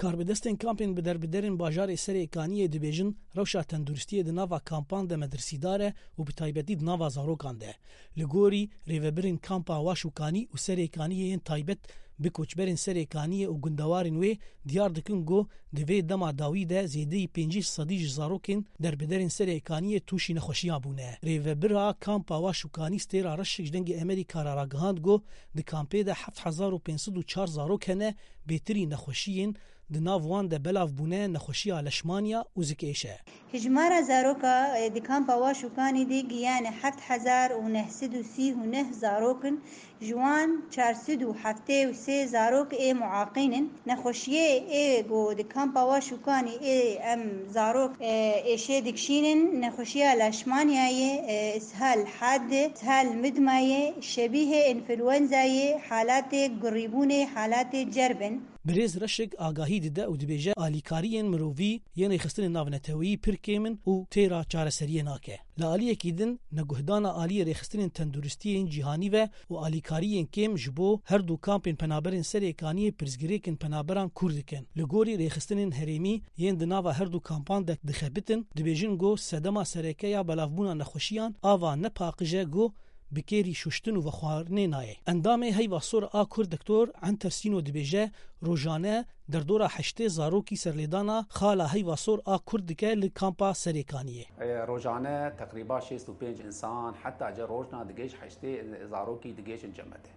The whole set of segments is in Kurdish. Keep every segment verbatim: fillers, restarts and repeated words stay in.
Karbidestên kampên bi derbiderên bajarê Serê Kaniyê dibêjin, rewşa tenduristiyê di nava kampan de medirsîdar e û bi taybetî di nava zarokan de. Li gorî rêvebirên kampa Waş û Kanî û Serê Kaniyê yên taybet bi koçberên Serê Kaniyê û gundewarên wê diyar dikin ku di vê dema dawî de zêdeyî pêncî sedî ji zarokên derbiderên Serê Kaniyê tûşî nexweşiya bûne. Rêvebira kampa Waş û Kanî Stêra Reşik ji Dengê Amerîka re ragihand ku di kampê de heft hezar û pênc sed û çar zarok hene, bêtirî nexweşiyên di nav wan de belav bûne nexweşiya leşmaniya û zikêş e. Hijmara zaroka, e, di kampa Waş û Kanî de giyane heft hezar û neh sed û sî û neh zarok in, ji wan çar sed û heftê û sê zarok ê muaqîn in. Nexweşiyê ê ku di kampa Waş û Kanî ê em zarok, e, êşê dikişînin, nexweşiya leşmanyayê, e, ishal had, ishal midmayê, şebîhê înfluenzayê, halatê gurîbûnê, halatê cerb in. Birêz Reşik agahî dide û dibêje, alîkariyên mirovî yên rêxistinên navneteweyî pir kêm in û têra çareseriyê nake. Li aliyekî din, neguhdana aliyê rêxistinên tenduristiyê yên cîhanî ve û alîkariyên kêm ji bo her du kampên penaberên Serê Kaniyê pirsgirêkên penaberan kûr dikin. Li gorî rêxistinên herêmî yên di nava her du kampan de dixebitin, dibêjin ku sedema sereke ya belavbûna nexweşiyan ava ne paqij e ku bi kêrî şuştin û vexwarinê nayê. Endamê Heyva Sor a Kurd Doktor Enter Sîno dibêje, rojane derdora heştê zarokî serlêdana xala Heyva Sor a Kurd dike li kampa Serê Kaniyê. E, rojane teqrîba şêst û pênc însan, heta ce rojna digihîj heştê zarokî digihîjin cemedê.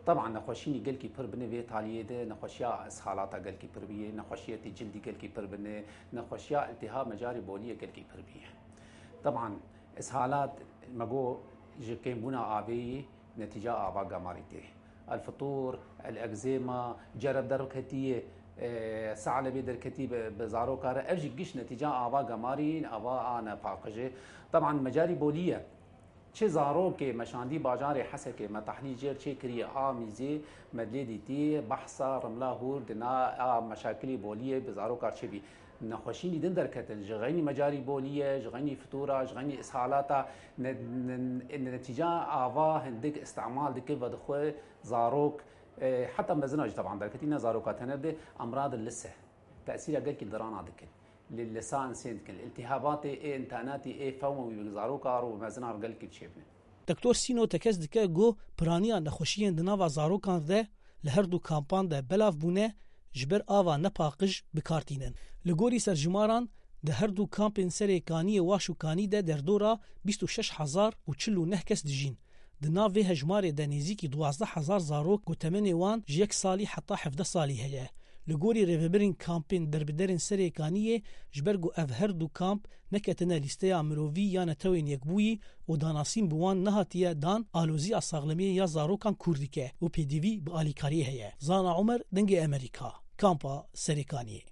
Teban nexweşînî gelkî pir bine vê taliyê de, nexweşiya ishalata gelkî pir bîye, nexweşiyetî cildî gelkî pir bine, nexweşiya iltihab mecarî boliyê gelkî pir bîye. Teban ishalat me got ji kêmbûna avê yî netîca ava gemarî tê. El fitur, el egzêma, cereb derketiye, e, salebê derketî bi, bi zaroka re. Ev jî giş netîca ava gemarî, ava a nepaqijê. Teban mecarî bolî ye. Çi zarokê me şandî bajarê Hesekê, me tehlîl jêr çêkiriye, a mîzê me lê dîtî, behsa Rimla Hûr di na a meşakilê boliyê bi zarokar çêbî. Nexweşînî din derketin, ji xeynî mecarî bolî ye, ji xeynî fitura, ji xeynî ishalata, ne-, ne-, ne-, netîca ava hindik îstemal dike ve dixwe zarok, e, heta mezina jî teban derketî, ne zaroka tener de, emrad lise, tesîra gelkî dirana dikin. Li lisan sên dikin. Îltîhabatê ê întanetî ê fewmewî bi zaroka ro û mezina ro gelkî çêbin. Doktor Sîno tekez dike ku piraniya nexweşiyên di nava zarokan de li her du kampan de belav bûne, ji ber ava nepaqij bi kar tînin. Li gorî serjimaran, di her du kampên Serê Kaniyê Waş û Kanî de derdora bîst û şeş hezar û çil û neh kes dijîn. Di nav vê hejmarê de nêzîkî duwazdeh hezar zarok ku temenê wan ji yek salî heta hevdeh salî heye. Li gorî rêvebirên kampên derbiderên Serê Kaniyê, ji ber ku ev her du kamp neketine lîsteya mirovî ya Netewên Yekbûyî û danasîn bi wan nehatiye dan, aloziya saxlemiyê ya zarokan kûr dike û pêdivî bi alîkariyê heye. Zana Omer, Dengê Amerîka, kampa Serê Kaniyê.